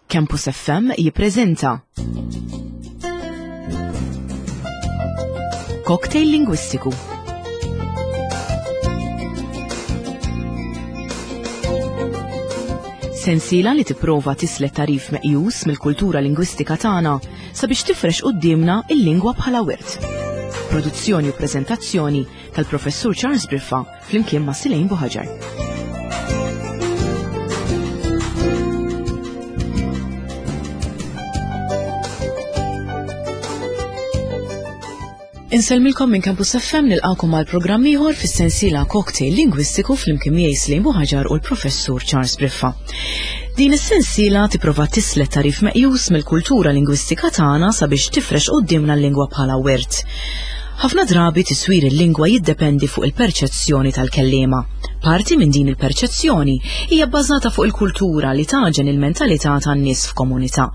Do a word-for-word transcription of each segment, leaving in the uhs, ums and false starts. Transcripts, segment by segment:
Campus F M jippreżenta Cocktail Lingwistiku. Sensiela li tipprova tislet tarif meqjus mill-kultura lingwistika tagħna sabiex tifrex quddiemna il-lingwa bħala wirt. Produzzjoni u preżentazzjoni tal-Professur Charles Briffa flimkien ma' Silejn Buħaġar. Insellmilkom minn Campus F M, nilqakom għal programm ieħor fis-sensiela Cocktail Lingwistiku flimkien miegħi Silejn Buħaġar u l-Professur Charles Briffa. Din is-sensiela tipprova tislet tarif meqjus mill-kultura lingwistika tagħna sabiex tifrex quddiemna l-lingwa bħala wirt. Ħafna drabi tiswir il-lingwa jiddependi fuq il-perċezzjoni tal-kelliema. Parti minn din il-perċezzjoni hija bbażata fuq il-kultura li taġen il-mentalità tan-nies f'komunità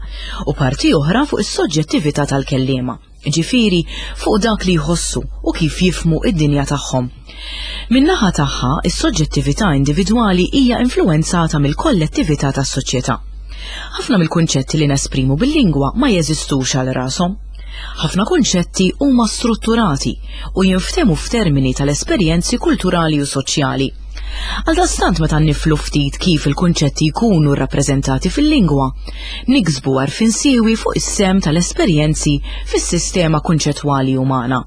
u parti oħra fuq is-soġġettività tal-kelliema. Ġifieri fuq dak li jħossu u kif jifmu id-dinja tagħhom. Min-naħa tagħha, is-soġġettività individwali hija influwenzata mill-kollettività tas-soċjetà. Ħafna mill-kunċetti li nesprimu bil-lingwa ma jeżistux għal rashom. Ħafna kunċetti huma strutturati u jinftehmu f'termini tal-esperjenzi kulturali u soċjali. Għaldaqstant meta niflu ftit kif il-kunċetti jkunu rrappreżentati fil-lingwa, niksbu għarfien siewi fuq is-sem tal-esperjenzi fis-sistema kunċettwali umana.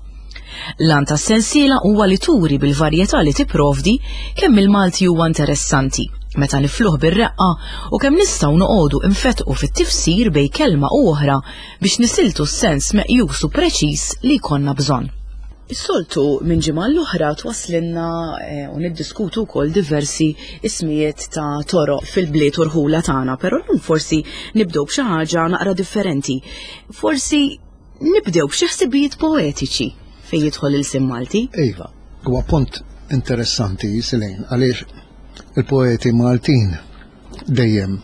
L-għan tas-sensiela huwa li turi bil-varjetà li tipprovdi kemm il-Malti huwa interessanti meta nifluh bir-reqqa u kemm nistgħu noqogħdu infetqu fit-tifsir bejn kelma u oħra biex nisiltu s-sens meqjus u preċiż li jkollna bżonn. Is-soltu minn ġimgħa l-oħra twaslinna, eh, u niddiskutu wkoll diversi ismijiet ta' toroq fil-bliet u rħula tagħna, però llum forsi nibdew b'xi ħaġa naqra differenti. Forsi nibdew b'xi ħsibijiet poetiċi fejn jidħol il-sim Malti. Iva, huwa punt interessanti, Silejn, għaliex il-poeti Maltin dejjem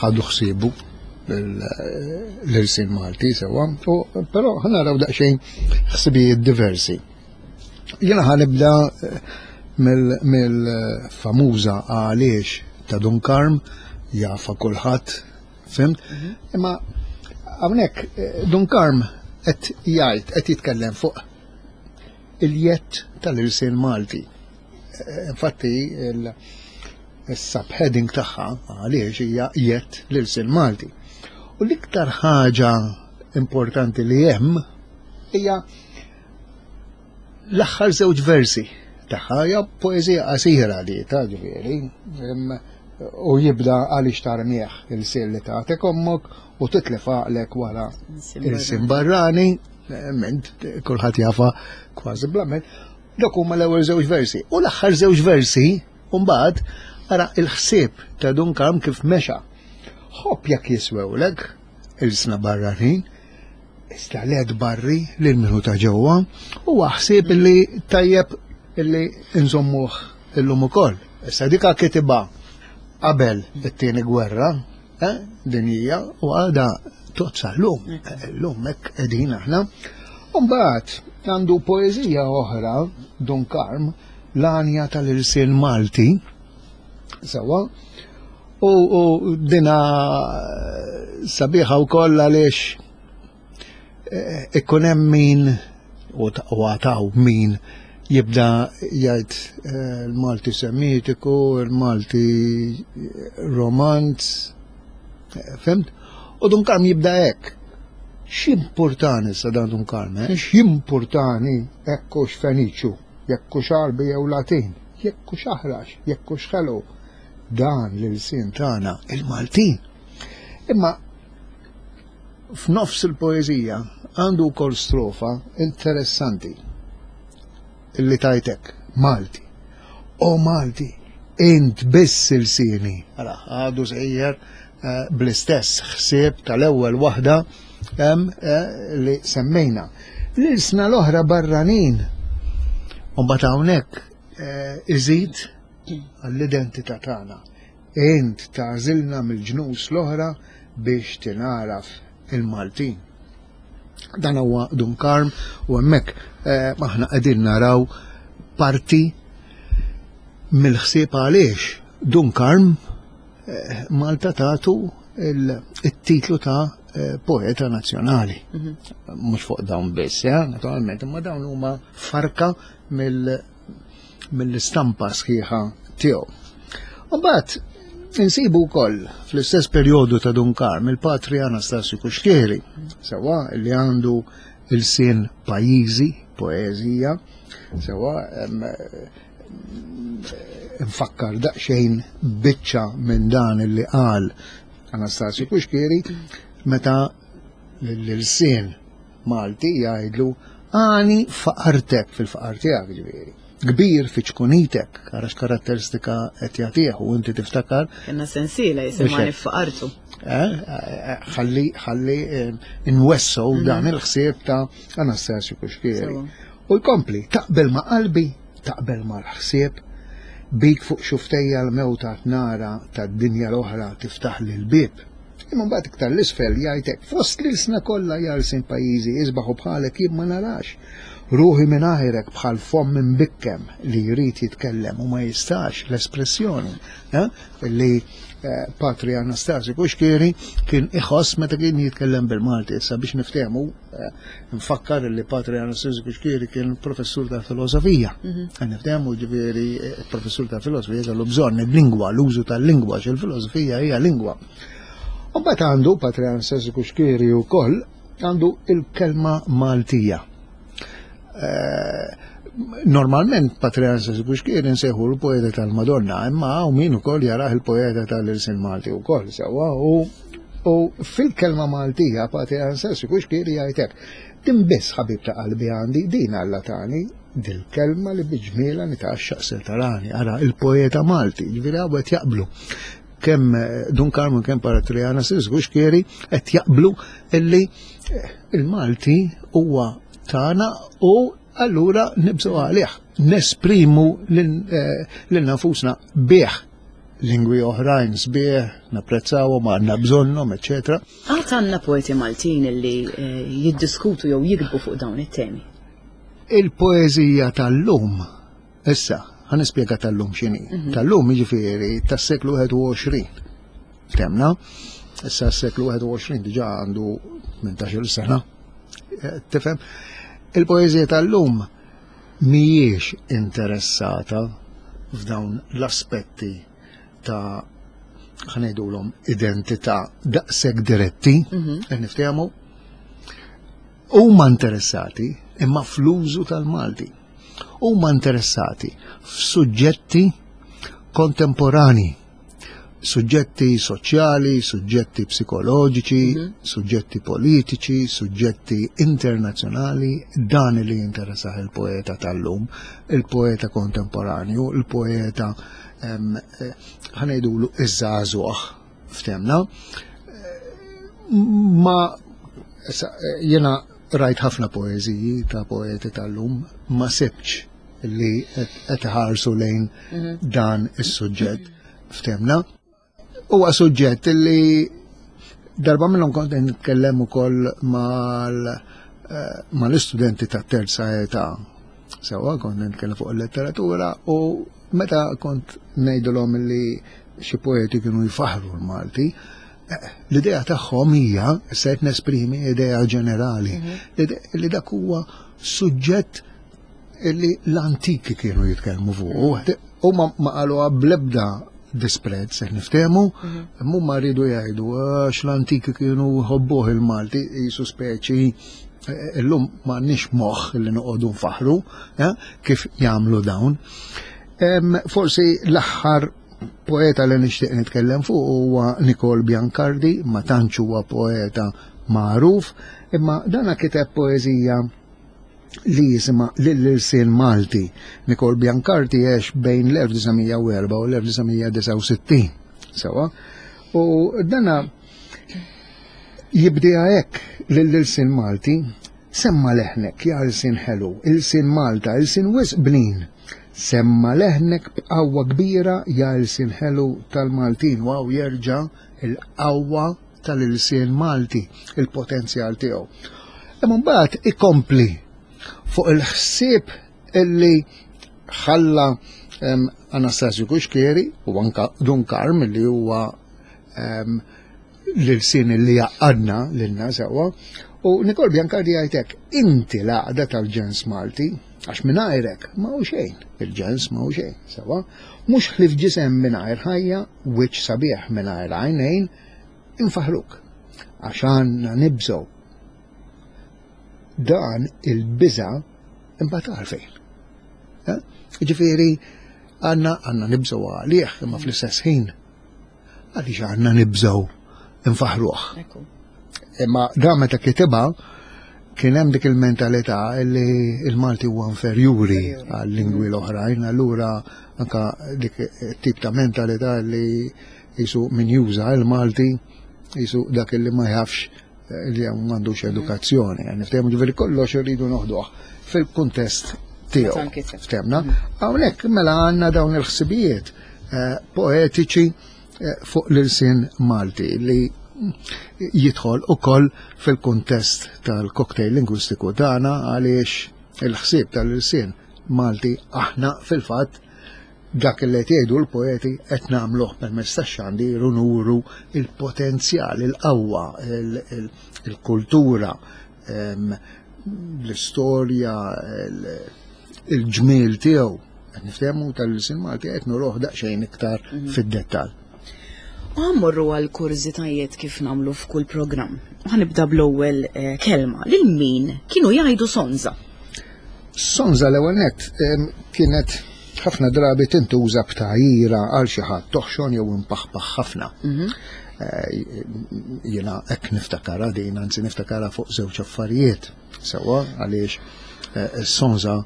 ħadu ħsiebu l-irsin Malti sewwa, u però ħanaraw daqsxejn ħsibijiet diversi. Jiena ħanibda mill-famuża għaliex ta' Dun Karm, jafa kulħadd, fimt? Mhm. Imma hawnhekk Dun Karm qed jgħid, qed jitkellem fuq il-jett tal-irsin Malti. Infatti il-subheading tagħha għaliex hija jett l-irsin Malti. U l-iktar ħaġa importanti li hemm hija l-aħħar żewġ versi tagħha, hija poeżija qasira li ta' ġifieri, u jibda għaliex tarmieħ il-sir li tagħtek ommok u titlef għaqlek wara il-sin barrani, ment kulħadd jafa kważi bla ment. Dak huma l-ewwel żewġ versi. U l-aħħar żewġ versi, mbagħad ara il-ħsieb ta' Dun Karm kif mexa. Ħobb jekk jiswewlek il-sna barranin, iżda led barri lil minnu ta' ġewwa, huwa ħsieb li tajjeb illi nżommuh illum ukoll. Issa dika kitibha qabel it-tieni gwerra, eh, dinjija, u għadha tozza llum, llum hekk qegħdin aħna. U mbagħad għandu poeżija oħra, Dun Karm, l-għanja tal-irsin Malti, sewwa, u, u dina sabiħa wkoll għaliex, eh, ikun hemm min u ta-, u għataw min jibda jgħid, eh, il-Malti Semitiku, il-Malti Romanz, eh, fimt? U Dun Karm jibda hekk. X'importani sa dan Dun Karm, eh? X'importani hekk hux Feniċju, jekk hux Għarbi jew Latin, jekk hux aħrax, jekk hux ħelu. Dan l-ilsien tagħna il-Maltin. Imma f'nofs il-poeżija għandu wkoll strofa interessanti illi tajtek Malti. O Malti, int biss ilsieni. Ara, għadu sejjer, eh, bl-istess ħsieb tal-ewwel waħda hemm, eh, li semmejna. L-ilsna l-oħra barranin. U mbagħad hawnhekk, eh, iżid għall-identità tagħna. Int tagħżilna mill-ġnus l-oħra biex tingħaraf il-Maltin. Dan huwa Dun Karm u hemmhekk, eh, aħna qegħdin naraw parti mill-ħsieb għaliex Dun Karm, eh, Malta tagħtu il-titlu ta' poeta nazzjonali. Mhux fuq dawn biss, naturalment, imma dawn huma farka mill-istampa sħiħa tiegħu. Mbagħad insibu wkoll fl-istess perjodu ta' Dun Karm il-Patri Anastasju Cuschieri, sewwa li għandu il-sin pajjiżi, poeżija, sewwa nfakkar daqsxejn biċċa minn dan li qal Anastasju Cuschieri meta l-sin Malti jgħidlu għani faqartek fil-faqar tiegħek ġifieri. Kbir fi ċkunitek, għarax karatteristika qed jagħtih u inti tiftakar. Kenna sensiela jisimha faqartu. Ħalli ħalli nwessu dan il-ħsieb ta' Anastasju Cuschieri. U jkompli, taqbel ma' qalbi, taqbel ma' l-ħsieb, bik fuq xuftejja l-mewta nara tad-dinja l-oħra tiftaħ lil bib. Imma mbagħad iktar l-isfel jgħidlek fost l-ilsna kollha jalsin pajjiżi isbaħu bħalek jien ma narax. Ruħi minn għajrek bħal fomm imbikkem li jrid jitkellem u ma jistax l-espressjoni li Patri Anastasju Cuschieri kien iħoss meta kien jitkellem bil-Malti. Issa biex niftehmu, nfakkar li Patri Anastasju Cuschieri kien professur ta' filosofija. Niftehmu ġifieri professur ta' filosofija kellu bżonn il-lingwa, l-użu tal-lingwa, il-filosofija hija lingwa. U mbagħad għandu Patri Anastasju Cuschieri wkoll għandu il-kelma Maltija. Normalment Patri Anastasju Cuschieri nsejħu l-poeta tal-Madonna, imma hawn min ukoll jarah il-poeta tal-Ilsien Malti wkoll sewwa u fil-kelma Maltija Patri Anastasju Cuschieri jgħidlek din biss ħabib ta' qalbi għandi din Alla tani dil-kelma li biġmiela nitgħaxxaq se tarani, ara il-poeta Malti, ġifieri hawn qed jaqblu. Kemm Dun Karm kemm Patri Anastasju Cuschieri qed jaqblu illi il-Malti huwa tagħna u allura nibżgħu għalih, nesprimu lil nafusna bih lingwi oħrajn sbieħ, napprezzawhom, għandna bżonnhom, eċċetera. Għad għandna poeti Maltin li jiddiskutu jew jiktbu fuq dawn it-temi. Il-poeżija tal-lum, issa, ħa nispjega tal-lum x'inhi. Tal-lum jiġifieri tas-seklu wieħed u għoxrin. Temna, issa s-seklu wieħed u għoxrin diġà għandu tmintax-il sena. Tifhem? Il-poeżija tal-lum mhijiex interessata f'dawn l-aspetti ta' ħanejdulhom identità daqshekk diretti, qed niftehmu, huma interessati imma fl-użu tal-Malti. Huma interessati f'suġġetti kontemporani, suġġetti soċjali, suġġetti psikoloġiċi, suġġetti politiċi, suġġetti internazzjonali, dan li jinteressah il-poeta tal-lum, il-poeta kontemporanju, il-poeta ħanejdulu iż-żagħżugħ, ftemna. Ma jena rajt ħafna poeżiji ta' poeti tal-lum, ma sibx li qed iħarsu lejn dan is-suġġett, ftemna. Huwa suġġett li darba minnhom kont nitkellem ukoll mal-istudenti ta' terza età. Sewwa kont nitkellem fuq il-letteratura u meta kont ngħidulhom li xi poeti kienu jfaħru l-Malti, l-idea tagħhom hija, se qed nesprimi idea ġenerali, li dak huwa suġġett li l-antiki kienu jitkellmu fuq. Huma ma qaluha bl-ebda disprezz, se niftehmu, imma rridu jgħidu għax l-antiki kienu jħobbuh il-Malti, jisu speċi illum m'għandniex moħħ li noqogħdu nfaħru kif jagħmlu dawn. Forsi l-aħħar poeta li nixtieq nitkellem fuq huwa Nikol Biancardi, ma tantx huwa poeta magħruf, imma dana kiteb poeżija li jisimha Lill-Ilsien Malti. Nikol Biancardi għex bejn l-elf disa' mija u erba' u l-elf disa' mija disgħa u sittin. Sewa, u dana jibdiha hekk lill-Ilsien Malti, semma leħnek ja ilsien ħelu, ilsien Malta, ilsien wisq bnin. Semma leħnek b'qawwa kbira ja ilsien ħelu tal-Maltin, waw jerġa' il-qawwa tal-ilsien Malti, il-potenzjal tiegħu. Imma mbagħad ikompli fuq il-ħsieb illi ħalla Anastasju Cuschieri u anka Dun Karm li huwa L-ilsien li jgħaqqadna lilna sewwa. U Nikol Biancardi jgħidlek, inti l-għaqda tal-ġens Malti, għax mingħajrek ma hu xejn, il-ġens ma hu xejn, sewwa. Mhux ħlief ġisem mingħajr ħajja, wiċċ sabiħ mingħajr għajnejn, infaħruk. Għax għandna nibżgħu. Dan il-biża' imbagħad għalfejn. Eh? Ġifieri għandna għandna nibżgħu għalih imma fl-istess ħin għaliex għandna nibżgħu nfaħruh. Imma dan meta kitibha kien hemm dik il-mentalità li il-Malti huwa inferjuri għal-lingwi l-oħrajn, allura anka dik tip ta' mentalità li jisu min juża il-Malti jisu dak li ma jafx eh, li m'għandux edukazzjoni. Niftehmu ġifieri kollox irridu noħduh fil-kuntest tiegħu. Ftehmna? Hawnhekk mela għandna dawn il-ħsibijiet eh, poetiċi eh, fuq l-ilsien Malti li jidħol ukoll fil-kuntest tal-cocktail lingwistiku tagħna għaliex il-ħsieb tal-ilsien Malti aħna fil-fatt dak li qed jgħidu l-poeti qed nagħmluh permezz tax-xandir u nuru il-potenzjal, il-qawwa, il-kultura, l-istorja, il-ġmiel tiegħu. Qed niftehmu tal-ilsien Malti qed nuruh daqsxejn iktar mhm. fid-dettall. U ħa mmorru għal kurżitajiet kif nagħmlu f'kull programm. Ħa nibda bl-ewwel eh, kelma. Lil min kienu jgħidu sonza? Sonza l-ewwel nett kienet ħafna drabi tintuża b'tgħajjira għal xi ħadd toħxon jew impaħpaħ ħafna. Mhm. Eh, jiena hekk niftakara din, anzi niftakara fuq żewġ affarijiet. Sewwa għaliex eh, sonza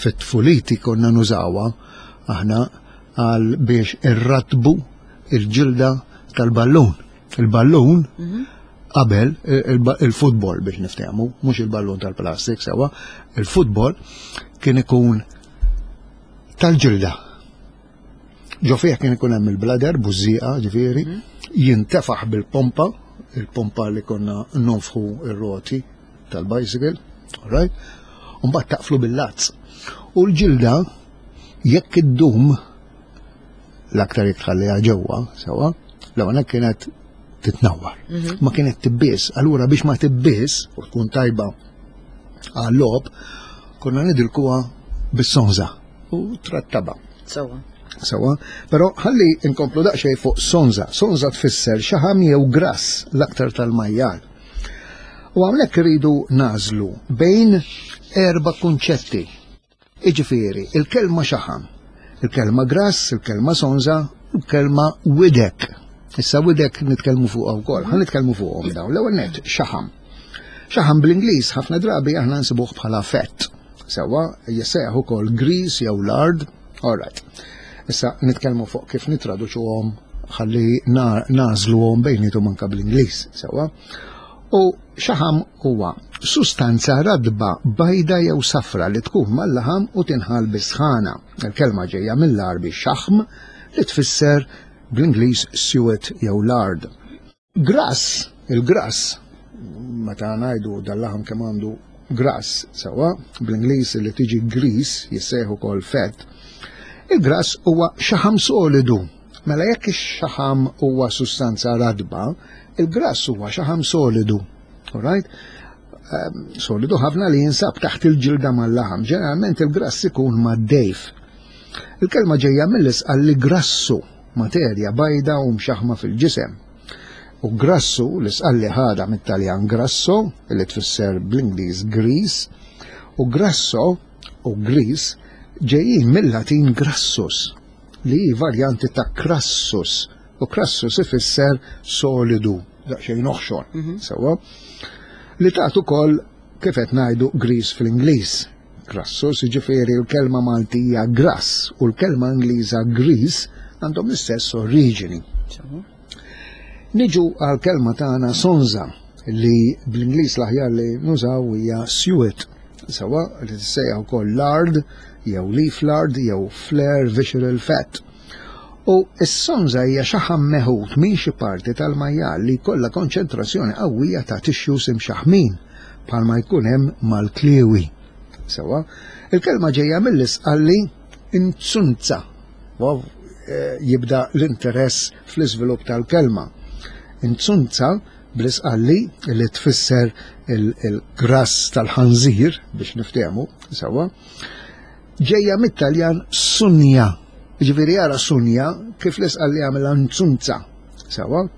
fit-tfuliti konna nużawha aħna għal biex irratbu il-ġilda tal-ballun. Il-ballun mhm. qabel il-futbol biex niftehmu, mhux il-ballun tal-plastik sewwa, il-futbol kien ikun tal-ġilda. Ġo fih kien ikun hemm il-bladder, bużżieqa, ġifieri, mhm. jintefaħ bil-pompa, il-pompa li konna nonfħu ir-roti tal-bicycle, right? Mbagħad taqflu bil-lazz. U l-ġilda jekk iddum l-aktar jekk tħalliha ġewwa, sewwa, l kienet titnawwar. Mhm. Ma kienet tibbies, allura biex ma tibbies u tkun tajba għal-logħob, konna nidilkuha bis-sonza u trattaba. Sewwa. Sewwa, però ħalli nkomplu daqsxejn fuq sonza. Sonza tfisser xaħam jew grass l-aktar tal-majjal. U hawnhekk iridu nagħżlu bejn erba' kunċetti. Iġifieri, il-kelma xaħam, il-kelma grass, il-kelma sonza, u l-kelma widek. Issa widek nitkellmu fuq wkoll, ħa nitkellmu fuqhom dawn. L-ewwel nett xaħam. Xaħam bl-Ingliż ħafna drabi aħna nsibuh bħala fat. Sewwa jissejjaħ ukoll grease jew lard. All right. Issa nitkellmu fuq kif nitraduċuhom ħalli nagħżluhom bejnietom anka bl-Ingliż, sewwa. U xaħam huwa sustanza radba bajda jew safra li tkun mal-laħam u tinħal bis-sħana. Il-kelma ġejja mill-Għarbi xaħm li tfisser bl-Ingliż suet jew lard. Grass, il-grass, meta ngħidu dal-laħam kemm għandu grass, sewwa, bl-Ingliż li tiġi grease, jissejħu ukoll fat. Il-grass huwa xaħam solidu. Mela jekk ix-xaħam huwa sustanza radba, il-grass huwa xaħam solidu. Alright? Um, solidu ħafna li jinsab taħt il-ġilda mal-laħam. Ġeneralment il-grass ikun mad-dejf. Il-kelma ġejja mill-Isqalli grassu, materja bajda u mxaħma fil-ġisem. U grassu, l-Isqalli ħadha mit-Taljan grasso, li tfisser bl-Ingliż grease, u grasso u grease ġejjin mill-Latin grassus, li hi varjanti ta' crassus, u crassus ifisser solidu, daqsxejn oħxon, mhm. sewwa, li tagħtu ukoll kif qed ngħidu grease fl-Ingliż. Crassus, jiġifieri l-kelma Maltija grass u l-kelma Ingliża grease għandhom l-istess oriġini. Niġu għal kelma tagħna sonza li bl-Ingliż l-aħjar li nużaw hija suet. Sewwa li tissejjaħ ukoll lard jew leaf lard jew flare visceral fat. U s-sonza hija xaħam meħud minn xi parti tal-majjal li jkollha konċentrazzjoni qawwija ta' tissues imxaħmin bħalma jkun hemm mal-kliewi. Sewwa, il-kelma ġejja mill-Isqalli inzunza. Wow, jibda l-interess fl-iżvilupp tal-kelma. Inzunza bl-Isqalli li tfisser il-grass tal-ħanżir biex niftehmu sewwa, ġejja mit-Taljan sunja. Ġifieri ara sunja kif l-Isqalli għamilha nzunza sewwa.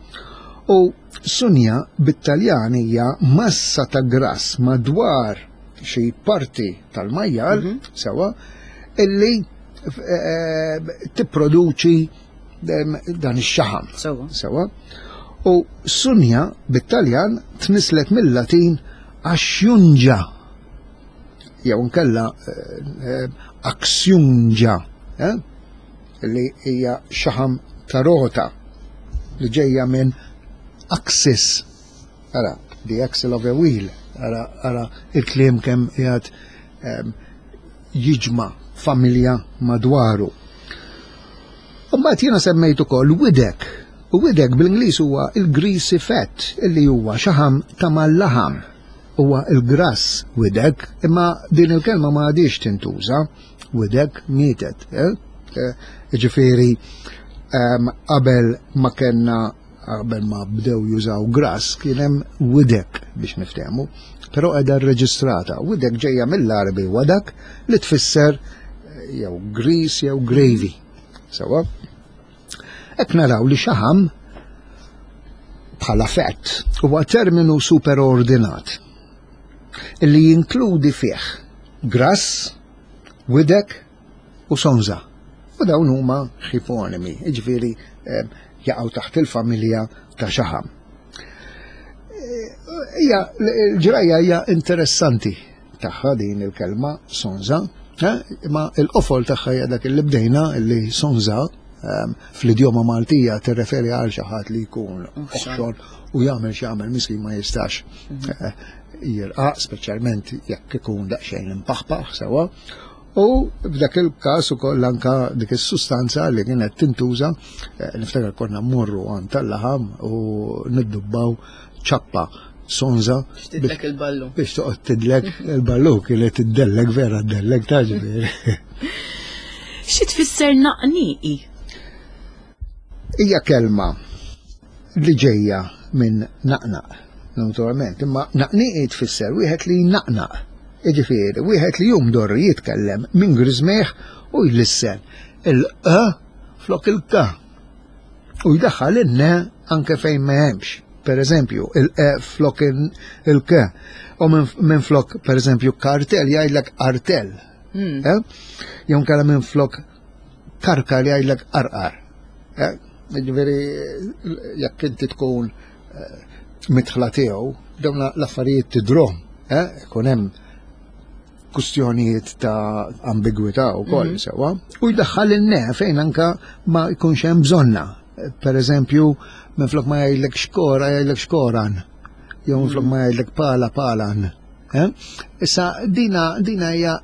U sunja bit-Taljan hija massa ta' grass madwar xi parti tal-majjal sewwa illi tipproduċi dan ix-xaħam. Sewwa. U sunja bit-Taljan tnislet mill-Latin axjunġa jew nkella aksjunġa, li hija xaħam ta' rota li ġejja minn axis. Ara, the axle of a wheel. Ara, ara il-kliem kemm qiegħed jiġma' familja madwaru. U mbagħad jiena semmejt ukoll widek. U widek bl-Ingliż huwa il-greasy fat, illi huwa xaħam ta' mal-laħam. Huwa il-grass widek, imma din il-kelma ma għadix tintuża, widek mietet. Ġifieri qabel ma kellna qabel ma bdew jużaw grass kien hemm widek biex niftehmu, però qiegħda rreġistrata. Widek ġejja mill-Għarbi wadak li tfisser jew grease jew gravy. Sewwa? Hekk naraw li xaħam bħala fett huwa terminu superordinat illi jinkludi fih grass, widek u sonza. U dawn huma ħiponimi, jiġifieri jaqgħu taħt il-familja ta' xaħam. Hija l-ġrajja hija interessanti tagħha din il-kelma sonza, imma l-qofol tagħha hija dak li bdejna illi sonza fl-idjoma Maltija tirreferi għal xi ħadd li jkun oħxon u jagħmel xi jagħmel miskin ma jistax jirqaq, speċjalment jekk ikun daqsxejn impaħpaħ sewwa. U f'dak il-każ ukoll anka dik is-sustanza li kienet tintuża, niftakar konna mmorru għand tal-laħam u niddubbaw ċappa sonza tidlek il-ballu. Biex toqgħod tidlek il-ballu kienet tiddellek vera ddellek ta' ġifieri. Xi tfisser naqniqi? Hija kelma li ġejja minn naqnaq, naturalment, imma naqniqi tfisser wieħed li naqnaq. Jiġifieri, wieħed li jumdor jitkellem minn griżmejh u jlissen il-q flok il-k. U jdaħħal in-n anke fejn ma hemmx. Per eżempju, il-e flok il-k. U minn flok, per eżempju, kartel jgħidlek artel. Jew inkella minn flok karkar jgħidlek arqar. Jiġifieri, jekk inti tkun mitħla tiegħu, dawn l-affarijiet tidrom, ikun hemm kustjonijiet ta' ambigwità wkoll sewwa, u jdaħħal in-ne fejn anka ma jkunx hemm bżonna. Per eżempju, minflok ma jgħidlek xkora jgħidlek xkoran, jew minflok ma jgħidlek pala palan. Issa dina dina hija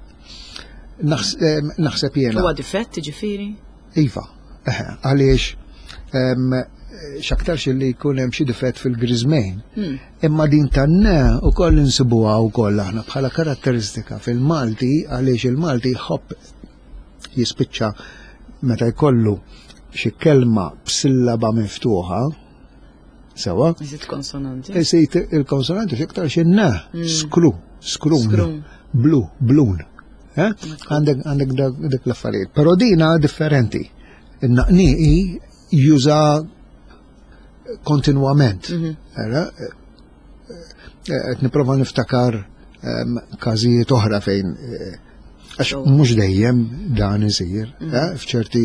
naħseb jiena. Huwa difett ġifieri? Iva, għaliex x'aktarx li jkun hemm xi difett fil-griżmejn. Imma din tan-ne ukoll insibuha wkoll aħna bħala karatteristika fil-Malti, għaliex il-Malti jħobb jispiċċa meta jkollu xi kelma b'sillaba miftuħa, sewwa. Iżid konsonanti. Iżid il-konsonanti x'iktar xi ne, skru, skrun, blu, blun. Għandek għandek dak l-affarijiet. Però dina differenti. In-naqniqi juża kontinwament. Qed nipprova niftakar każijiet oħra fejn għax mhux dejjem dan isir, f'ċerti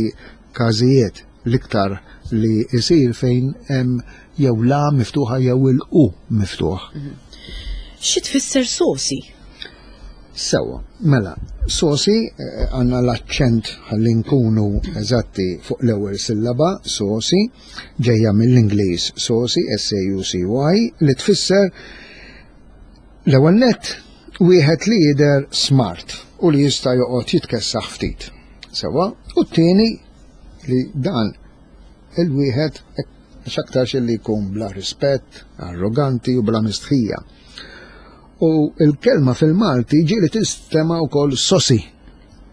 każijiet l-iktar li isir fejn hemm jew la miftuħa jew il-u miftuħ. Xi tfisser sosi? Sewwa, mela, sosi għandna l-aċċent ħalli nkunu eżatti fuq l-ewwel sillaba, sosi, ġejja mill-Ingliż sosi, S A U C Y, li tfisser l-ewwel nett wieħed li jidher smart u li jista' joqgħod jitkessaħ ftit. Sewwa, u t-tieni li dan il-wieħed x'aktarx li jkun bla rispett, arroganti u bla mistħija. U l-kelma fil-Malti ġieli tistema' wkoll sosi.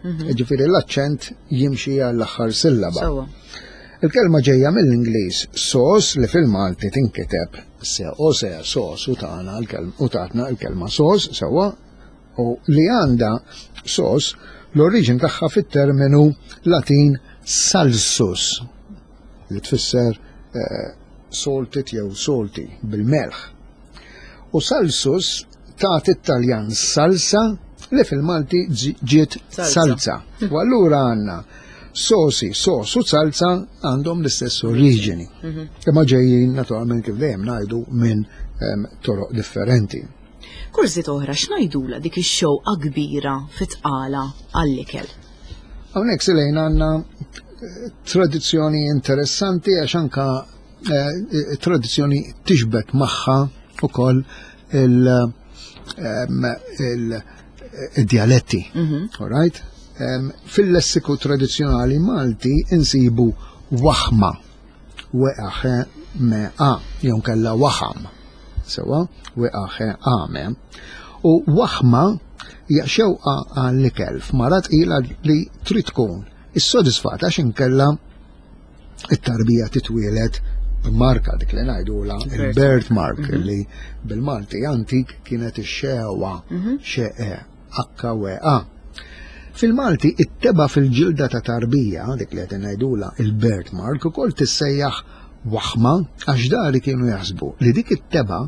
Mhm. Ġifieri l-aċċent jimxi għall-aħħar sillaba. Sewwa. Il-kelma ġejja mill-Ingliż sos li fil-Malti tinkiteb se o se sos u tagħna l-kelma u tatna l-kelma sos sewwa u li għandha sos l-oriġin tagħha fit-terminu Latin salsus li tfisser eh, salted jew salty bil-melħ. U salsus tagħti it-Taljan salsa li fil-Malti ġiet Salsa. salza. U allura għandna sosi, sos u salsa għandhom l-istess oriġini. Imma ġejjin naturalment kif dejjem ngħidu minn em, toroq differenti. Kurżità oħra x'ngħidula dik ix-xewqa kbira fit-tqala għall-ikel. Hawnhekk silejn għandna eh, tradizzjoni interessanti għax anka eh, tradizzjoni tixbet magħha ukoll il- em, il- il-dialetti. All right? Em, Fil-lessiku tradizzjonali Malti insibu waħma, weqaħe me a, jew kella waħam. Sewwa, weqaħe a me. U waħma hija xewqa għall-ikel f'mara tqila li trid tkun issodisfata għax inkella it-tarbija titwielet b'marka dik li ngħidula il-birth mark li bil-Malti antik kienet ix-xewa xeqe H W A. Fil-Malti it-tebgħa fil-ġilda ta' tarbija, dik li qed ngħidula il-birth mark, ukoll tissejjaħ waħma għax dari kienu jaħsbu li dik it-tebgħa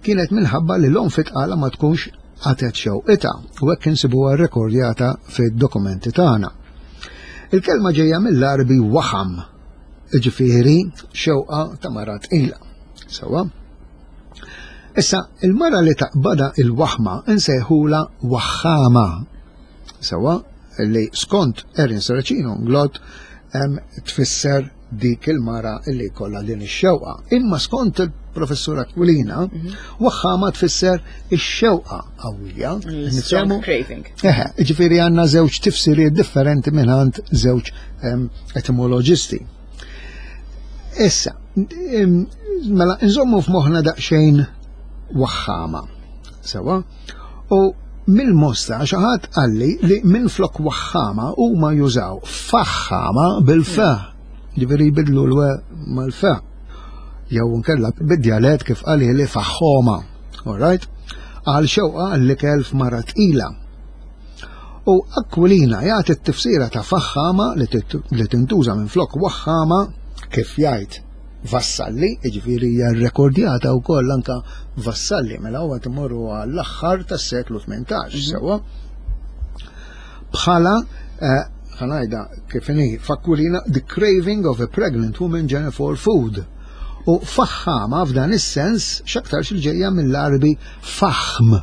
kienet minħabba li l-om fit-tqala ma tkunx qatgħet xewqitha u hekk insibuha rrekordjata fid-dokumenti tagħna. Il-kelma ġejja mill-Arbi waħam, ġifieri xewqa ta' mara tqila. Sewwa? Issa, il-mara li taqbada il-waħma nsejħula waħħama. Sewwa, li skont Erin Serracino Inglott em, tfisser dik il-mara li kollha din ix-xewqa. Imma skont il-professur Aquilina, waħħama tfisser ix-xewqa qawwija. Strong Niftehmu? craving. Eħe, ġifieri għandna żewġ tifsiriet differenti mingħand żewġ em, etimoloġisti. Issa, em, mela, nżommu f'moħħna daqsxejn waħħama. Sewwa? U mill-Mosta xi ħadd qalli li minn flok waħħama huma jużaw faħħama bil-fa. Ġifieri jbidlu l-we mal-fa. Jew nkella bid-djalett kif qali li faħħoma. All right? Għal xewqa għall-ikel f'mara tqila. U Aquilina jagħti t-tifsira ta' faħħama li tit- li tintuża minn flok waħħama kif jgħid Vassalli, jiġifieri hija rrekordjata wkoll anka Vassalli, mela huwa timorru għall-aħħar tas-seklu tmintax, sewwa. Bħala eh, ħa ngħidha kif inhi f'Aquilina the craving of a pregnant woman general for food. U faħħama f'dan is-sens x'aktarx il-ġejja mill-Arbi faħm.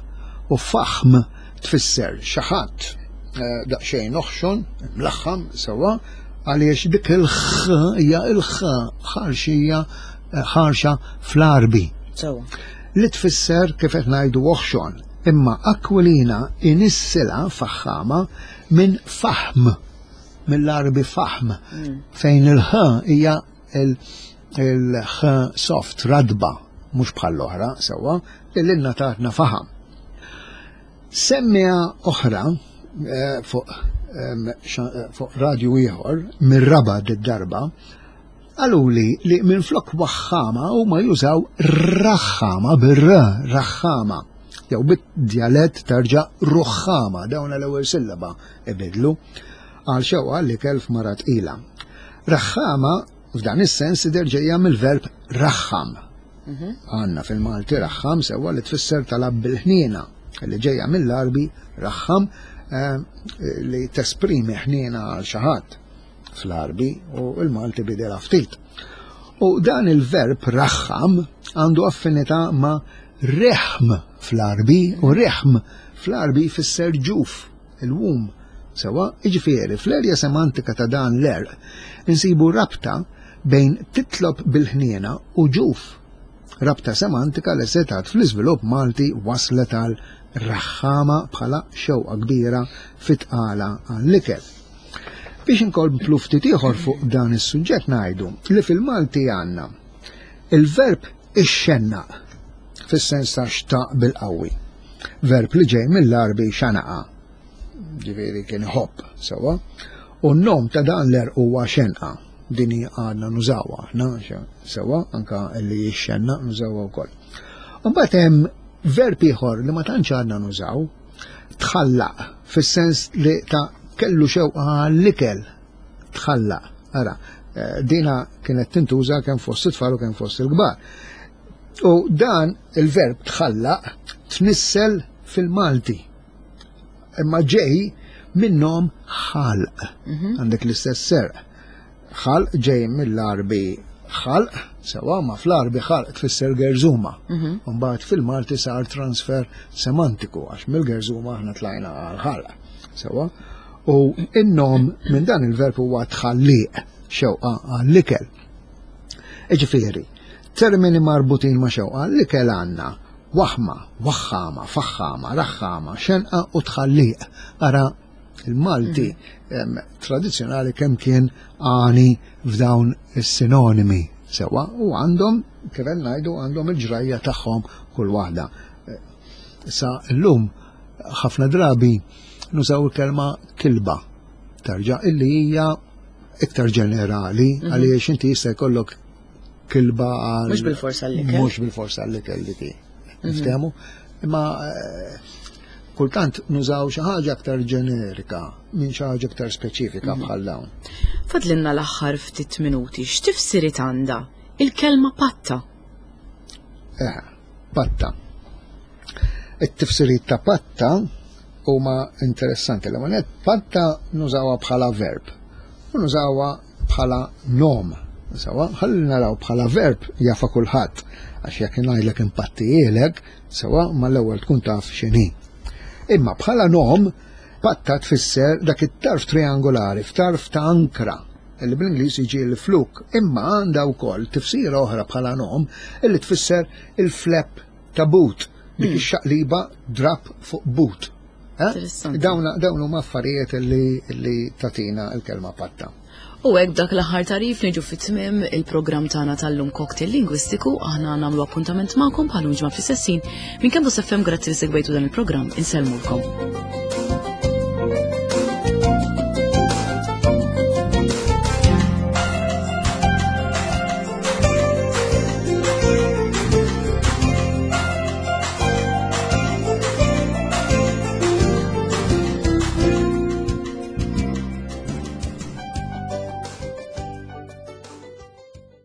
U faħm tfisser xi ħadd eh, daqsxejn oħxon, mlaħħam sewwa, għaliex dik il-ħ hija il-ħ ħarxija ħarxa fl-Arbi Sewwa. li tfisser kif qed ngħidu oħxon. Imma Aquilina inissila faħħama minn faħm, mill-Arbi faħm, fejn il-ħ hija il-ħ soft, radba, mhux bħall-oħra, sewwa, li lilna tatna faħam. Semmija oħra eh, fuq em, xa- eh, fuq radju ieħor mir-raba d-darba qaluli li minn flok waħħama huma jużaw raħħama bir-r, raħħama. Jew bid-djalett tarġa' ruħħama, dawn l-ewwel sillaba ibidlu għal xewqa li kelf mara tqila. Raħħama f'dan is-sens idher ġejja mill-verb raħħam. Għandna fil-Malti raħħam sewwa li tfisser talab bil-ħniena, li ġejja mill-Arbi raħħam eh, li tesprimi ħniena għal xi ħadd fl-Arbi u il-Malti bidela ftit. U dan il-verb raħħam għandu affinità ma' reħm fl-Arbi u reħm fl-Arbi jfisser ġuf, il-womb. Sewwa, iġifieri, fl-erja semantika ta' dan l-erq insibu rabta bejn titlob bil-ħniena u ġuf. Rabta semantika li setat fl-iżvilupp Malti waslet għal raħħama bħala xewqa kbira fit-tqala għall-ikel. Biex inkomplu ftit ieħor fuq dan is-suġġett ngħidu li fil-Malti għandna il-verb ixxennaq fis-sens ta' xtaq bil-qawwi. Verb li ġej mill-Arbi xanaqa. Ġifieri kien iħobb, sewwa. U n-nom ta' dan l-għerq huwa xenqa. Dini għadna nużawha aħna, sewwa, anka li jixxenna nużawha wkoll. Mbagħad hemm verb ieħor li ma tantx għadna nużaw, tħallaq, fis-sens li ta' kellu xewqa għall-ikel, tħallaq. Ara, eh, dina kienet tintuża kemm fost it-tfal u kemm fost il-kbar. U dan il-verb tħallaq tnissel fil-Malti. Imma ġej minnhom ħalq. Mhm. Għandek l-istess serq. Ħalq ġej mill-Arbi ħalq, sewa ma fl-Arbi ħalq tfisser gerżuma. Mhm. Mbagħad fil-Malti sar transfer semantiku għax mill-gerżuma aħna tlajna għal ħalq. Sewa. U in-nom minn dan il-verb huwa tħalliq, xewqa għall-ikel. Iġifieri, termini marbutin ma' xewqa għall-ikel għandna waħma, waħħama, faħħama, raħħama, xenqa u tħalliq. Ara il-Malti mm. tradizzjonali kemm kien għani f'dawn is-sinonimi sewa u għandhom, kif ngħidu, għandhom il-ġrajja tagħhom kull waħda. Issa llum ħafna drabi nużaw il-kelma kilba tarġa' illi hija iktar ġenerali mhm. għaliex inti jista' jkollok kilba għal mhux bil-forsa l-ikel. Mhux bil-forsa l-ikel dik. Mhm. Niftehmu? Imma eh, kultant nużaw xi ħaġa aktar ġenerika minn xi ħaġa aktar speċifika mhm. bħal dawn. Fadlinna l-aħħar ftit minuti, x'tifsiriet għandha il-kelma patta? Eh, patta. It-tifsiriet ta' patta huma interessanti. L-ewwel patta nużawha bħala verb u nużawha bħala nom. Sewa, ħalli naraw bħala verb jafa kulħadd għax jekk ngħidlek impattijielek, sewa mal-ewwel tkun taf x'inhi. Imma bħala nom, patta tfisser dak it-tarf triangolari f'tarf ta' ankra li bl-Ingliż jiġi l-fluk, imma għandha wkoll tifsira oħra bħala nom illi tfisser il-flap ta' boot, dik hmm. ix-xaqliba drap fuq boot. Eh? Dawn dawn huma affarijiet li, li tatina l-kelma patta. U hekk dak l-aħħar tarif niġu fit-tmiem il-programm tagħna tal-lum Cocktail Lingwistiku, aħna nagħmlu appuntament magħkom bħal ġimgħa fl-istessin minn Campus F M. Grazzi li segwejtu dan il-programm, insellmulkom.